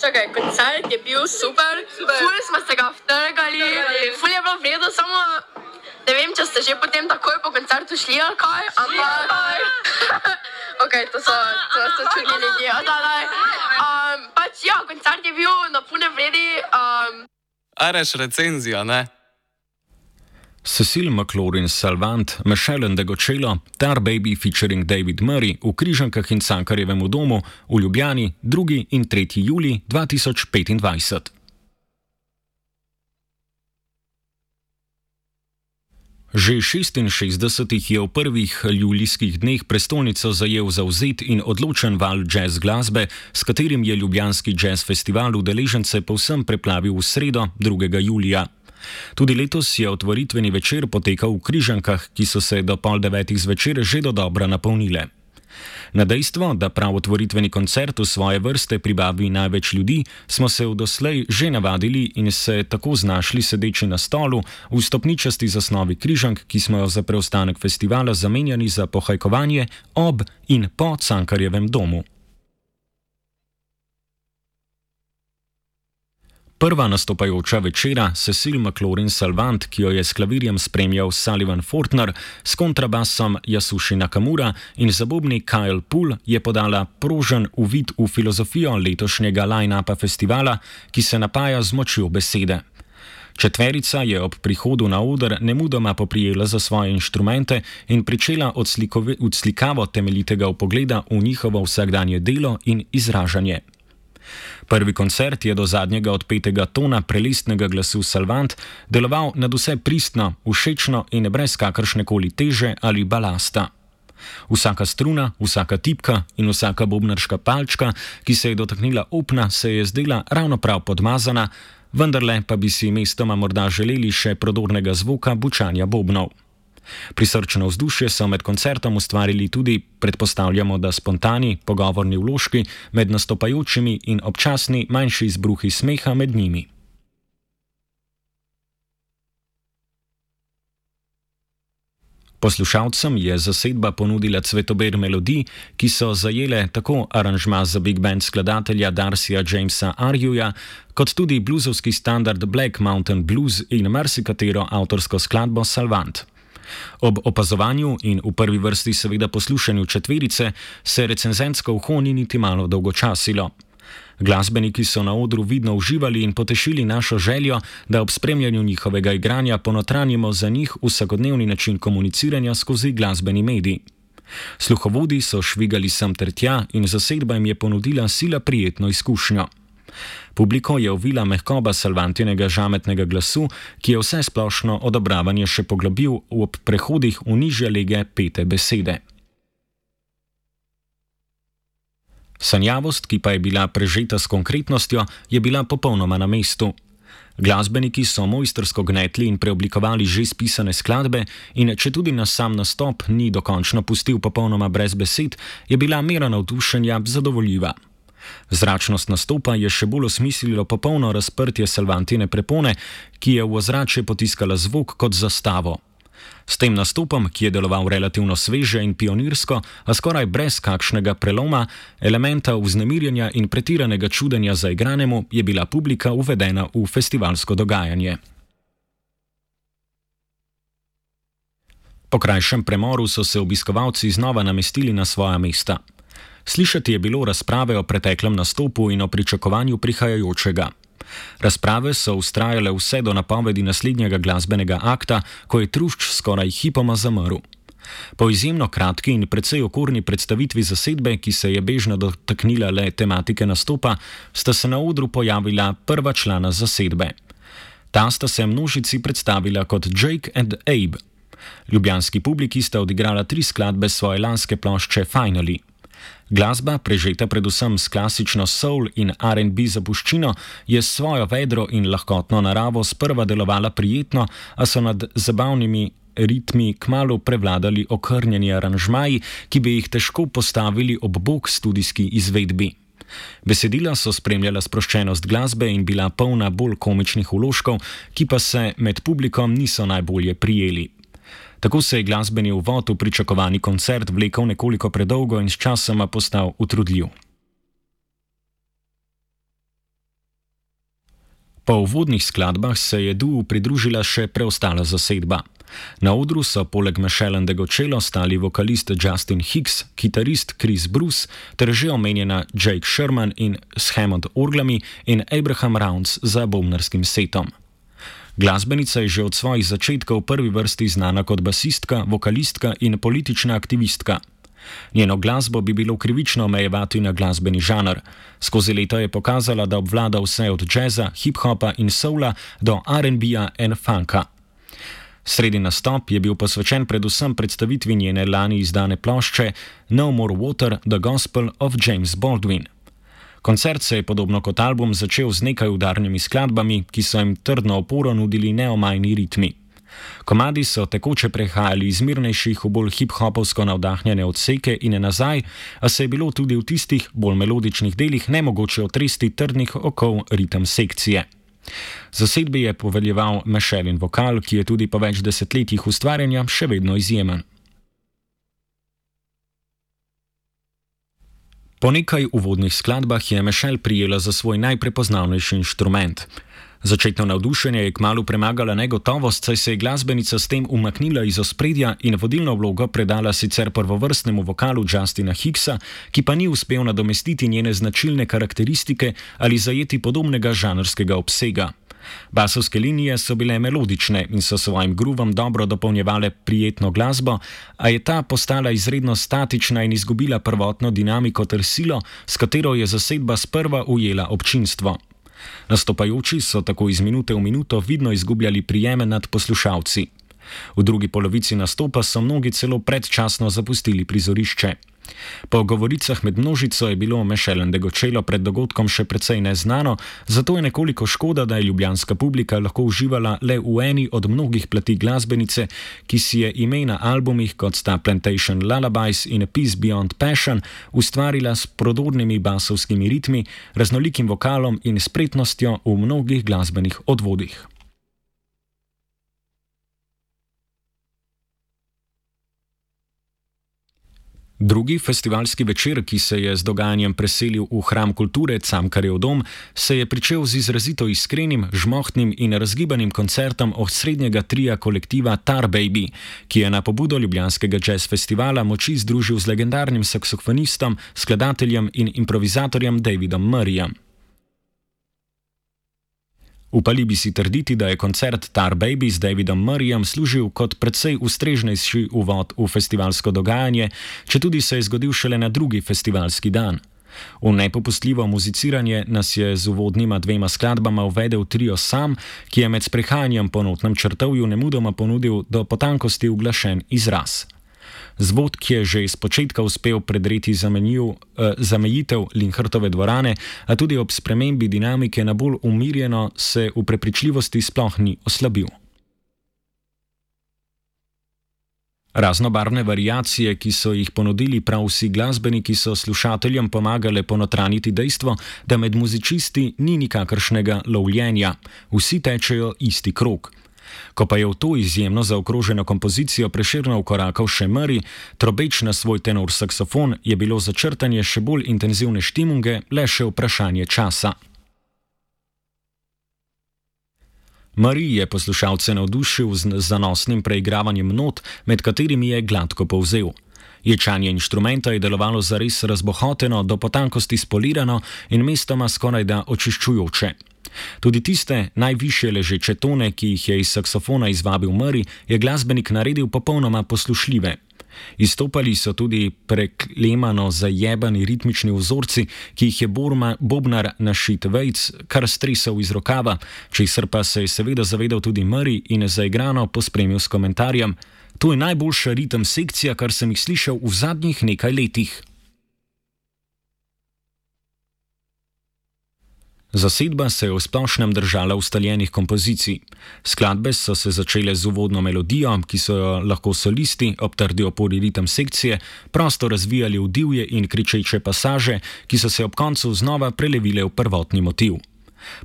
čakaj, koncert je bil super. Ful smo se ga vtrgali, ful je bilo vredo, samo ne vem, če ste že potem takoj po koncertu šli ali kaj, ampak... Ok, to so čudni ljudje. Pač ja, koncert je bil na pune vredi. Areš recenzija, ne? Cecile McLaurin-Salvant, Michelle Ndegocello, Tar Baby featuring David Murray v Križankah in Cankarjevem domu v Ljubljani 2. in 3. julij 2025. Že 66 je v prvih julijskih dneh prestolnico zajel zavzet in odločen val jazz glasbe, s katerim je ljubljanski jazz festival udeležence povsem preplavil v sredo 2. julija. Tudi letos je otvoritveni večer potekal v Križankah, ki so se do 8:30 zvečer že dodobra napolnile. Na dejstvo, da prav otvoritveni koncert v svoje vrste pribavi največ ljudi, smo se v doslej že navadili in se tako znašli sedeči na stolu v stopničasti zasnovi Križank, ki smo jo za preostanek festivala zamenjali za pohajkovanje ob in po Cankarjevem domu. Prva nastopajoča večera, Cecile McLaurin-Salvant, ki jo je s klavirjem spremljal Sullivan Fortner, s kontrabasom Yasushi Nakamura in za bobni Kyle Poole, je podala prožen uvid v filozofijo letošnjega line-upa festivala, ki se napaja z močjo besede. Četverica je ob prihodu na oder nemudoma poprijela za svoje inštrumente in pričela odslikavo temeljitega vpogleda v njihovo vsakdanje delo in izražanje. Prvi koncert je do zadnjega odpetega tona prelestnega glasu Salvant deloval nadvse pristno, všečno in brez kakršnekoli teže ali balasta. Vsaka struna, vsaka tipka in vsaka bobnarška palčka, ki se je dotaknila opna, se je zdela ravno prav podmazana, vendarle pa bi si mestoma morda želeli še prodornega zvoka bučanja bobnov. Prisrčno vzdušje so med koncertom ustvarili tudi, predpostavljamo, da spontani, pogovorni vložki med nastopajočimi in občasni manjši izbruhi smeha med njimi. Poslušalcem je zasedba ponudila cvetober melodij, ki so zajele tako aranžma za big band skladatelja Darcyja Jamesa Arjuja, kot tudi bluzovski standard Black Mountain Blues in marsikatero avtorsko skladbo Salvant. Ob opazovanju in v prvi vrsti seveda poslušanju četverice se recenzentsko uho ni niti malo dolgočasilo. Glasbeniki so na odru vidno uživali in potešili našo željo, da ob spremljanju njihovega igranja ponotranjimo za njih vsakodnevni način komuniciranja skozi glasbeni medij. Sluhovodi so švigali sem ter tja in zasedba jim je ponudila sila prijetno izkušnjo. Publiko je ovila mehkoba Salvantinega žametnega glasu, ki je vse splošno odobravanje še poglobil ob prehodih v nižje lege pete besede. Sanjavost, ki pa je bila prežeta s konkretnostjo, je bila popolnoma na mestu. Glasbeniki so mojstrsko gnetli in preoblikovali že spisane skladbe in če tudi nas sam nastop ni dokončno pustil popolnoma brez besed, je bila mera navdušenja zadovoljiva. Zračnost nastopa je še bolj osmislilo popolno razprtje Salvantine prepone, ki je v ozračje potiskala zvok kot zastavo. S tem nastopom, ki je deloval relativno sveže in pionirsko, a skoraj brez kakšnega preloma, elementa vznemirjenja in pretiranega čudenja za igranemu, je bila publika uvedena v festivalsko dogajanje. Po krajšem premoru so se obiskovalci znova namestili na svoja mesta. Slišati je bilo razprave o preteklem nastopu in o pričakovanju prihajajočega. Razprave so vztrajale vse do napovedi naslednjega glasbenega akta, ko je trušč skoraj hipoma zamrl. Po izjemno kratki in precej okorni predstavitvi zasedbe, ki se je bežno dotaknila le tematike nastopa, sta se na odru pojavila prva člana zasedbe. Ta sta se množici predstavila kot Jake and Abe. Ljubljanski publiki sta odigrala 3 skladbe svoje lanske plošče Finally. Glasba, prežeta predvsem s klasično soul in R&B zapuščino, je s svojo vedro in lahkotno naravo sprva delovala prijetno, a so nad zabavnimi ritmi kmalu prevladali okrnjeni aranžmaji, ki bi jih težko postavili ob bok studijski izvedbi. Besedila so spremljala sproščenost glasbe in bila polna bolj komičnih vložkov, ki pa se med publikom niso najbolje prijeli. Tako se je glasbeni uvod v pričakovani koncert vlekel nekoliko predolgo in sčasoma postal utrudljiv. Po uvodnih skladbah se je duu pridružila še preostala zasedba. Na odru so poleg Michelle Ndegočelo stali vokalist Justin Hicks, kitarist Chris Bruce ter že omenjena Jake Sherman in s Hammond orglami in Abraham Rounds za bobnarskim setom. Glasbenica je že od svojih začetkov v prvi vrsti znana kot basistka, vokalistka in politična aktivistka. Njeno glasbo bi bilo krivično omejevati na glasbeni žanr. Skozi leta je pokazala, da obvlada vse od džeza, hip-hopa in soula do R&B-ja in funka. Srednji nastop je bil posvečen predvsem predstavitvi njene lani izdane plošče No More Water, The Gospel of James Baldwin. Koncert se je podobno kot album začel z nekaj udarnimi skladbami, ki so jim trdno oporo nudili neomajni ritmi. Komadi so tekoče prehajali iz mirnejših v bolj hip-hopovsko navdahnjene odseke in nazaj, a se je bilo tudi v tistih bolj melodičnih delih nemogoče otresti trdnih okov ritem sekcije. Zasedbi je poveljeval Michelin vokal, ki je tudi po več desetletjih ustvarjanja še vedno izjemen. Po nekaj uvodnih skladbah je Michelle prijela za svoj najprepoznavnejši inštrument. Začetno navdušenje je kmalu premagala negotovost, saj se je glasbenica s tem umaknila iz ospredja in vodilno vlogo predala sicer prvovrstnemu vokalu Justina Hicksa, ki pa ni uspel nadomestiti njene značilne karakteristike ali zajeti podobnega žanrskega obsega. Basovske linije so bile melodične in so svojim groovom dobro dopolnjevale prijetno glasbo, a je ta postala izredno statična in izgubila prvotno dinamiko ter silo, s katero je zasedba sprva ujela občinstvo. Nastopajoči so tako iz minute v minuto vidno izgubljali prijeme nad poslušalci. V drugi polovici nastopa so mnogi celo predčasno zapustili prizorišče. Po govoricah med množico je bilo Michelle Ndegočelo pred dogodkom še precej neznano, zato je nekoliko škoda, da je ljubljanska publika lahko uživala le v eni od mnogih plati glasbenice, ki si je ime na albumih kot sta Plantation Lullabies in Peace Beyond Passion ustvarila s prodornimi basovskimi ritmi, raznolikim vokalom in spretnostjo v mnogih glasbenih odvodih. Drugi festivalski večer, ki se je z dogajanjem preselil v Hram kulture Cankarjev dom, se je pričel z izrazito iskrenim, žmohtnim in razgibanim koncertom osrednjega tria kolektiva Tar Baby, ki je na pobudo ljubljanskega jazz festivala moči združil z legendarnim saksofonistom, skladateljem in improvizatorjem Davidom Murrayjem. Upali bi si trditi, da je koncert Tar Baby z Davidom Murrayjem služil kot precej ustrežnejši uvod v festivalsko dogajanje, četudi se je zgodil šele na drugi festivalski dan. V nepopustljivo muziciranje nas je z uvodnima dvema skladbama uvedel trio Sam, ki je med sprehajanjem po notnem črtovju nemudoma ponudil do potankosti uglašen izraz. Zvod, ki je že iz početka uspel predreti zamejitev Linhartove dvorane, a tudi ob spremembi dinamike na bolj umirjeno, se v prepričljivosti sploh ni oslabil. Raznobarvne variacije, ki so jih ponudili prav vsi glasbeniki, so slušateljem pomagale ponotraniti dejstvo, da med muzičisti ni nikakršnega lovljenja, vsi tečejo isti krog. Ko pa je v to izjemno zaokroženo kompozicijo Prešernov korakal še Murray, trobeč na svoj tenor saksofon, je bilo za črtanje še bolj intenzivne štimunge le še vprašanje časa. Murray je poslušalce navdušil z zanosnim preigravanjem not, med katerimi je gladko povzel. Ječanje inštrumenta je delovalo zares razbohoteno, do potankosti spolirano in mestoma skorajda očiščujoče. Tudi tiste najvišje ležeče tone, ki jih je iz saksofona izvabil Murray, je glasbenik naredil popolnoma poslušljive. Izstopali so tudi preklemano zajebani ritmični vzorci, ki jih je bobnar Našit Vejc kar stresal iz rokava, česar pa se je seveda zavedal tudi Murray in zaigrano pospremil s komentarjem: "To je najboljša ritem sekcija, kar sem jih slišal v zadnjih nekaj letih." Zasedba se je v splošnem držala ustaljenih kompozicij. Skladbe so se začele z uvodno melodijo, ki so jo lahko solisti, ob trdi opori ritem sekcije, prosto razvijali v divje in kričeče pasaže, ki so se ob koncu znova prelevile v prvotni motiv.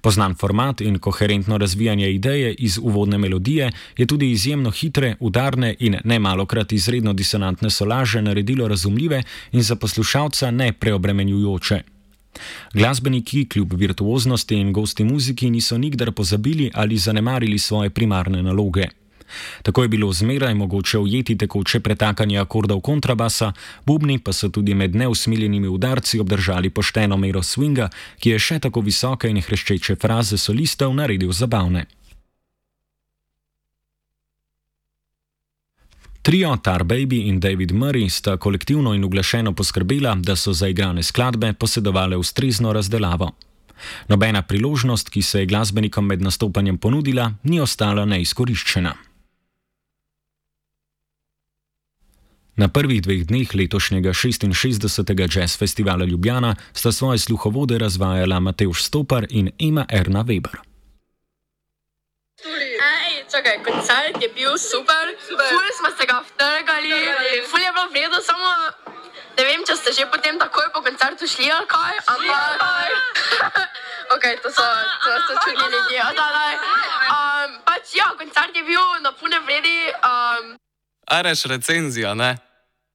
Poznan format in koherentno razvijanje ideje iz uvodne melodije je tudi izjemno hitre, udarne in nemalokrat izredno disonantne solaže naredilo razumljive in za poslušalca ne preobremenjujoče. Glasbeniki kljub virtuoznosti in gosti muziki niso nikdar pozabili ali zanemarili svoje primarne naloge. Tako je bilo zmeraj mogoče ujeti tekoče pretakanje akordov kontrabasa, bubni pa so tudi med neusmiljenimi udarci obdržali pošteno mero swinga, ki je še tako visoke in hreščeče fraze solistov naredil zabavne. Trio Tar Baby in David Murray sta kolektivno in uglašeno poskrbela, da so zaigrane skladbe posedovale ustrezno razdelavo. Nobena priložnost, ki se je glasbenikom med nastopanjem ponudila, ni ostala neizkoriščena. Na prvih 2 dneh letošnjega 66. Jazz Festivala Ljubljana sta svoje sluhovode razvajala Matevž Stopar in Ema Erna Weber. Čakaj, koncert je bil super, ful smo se ga vtrgali, ful je bilo vredo, samo ne vem, če ste že potem takoj po koncertu šli ali kaj, ampak ok, to so čudni ljudje, pač ja, koncert je bil na pune vredi. Areš recenzija, ne?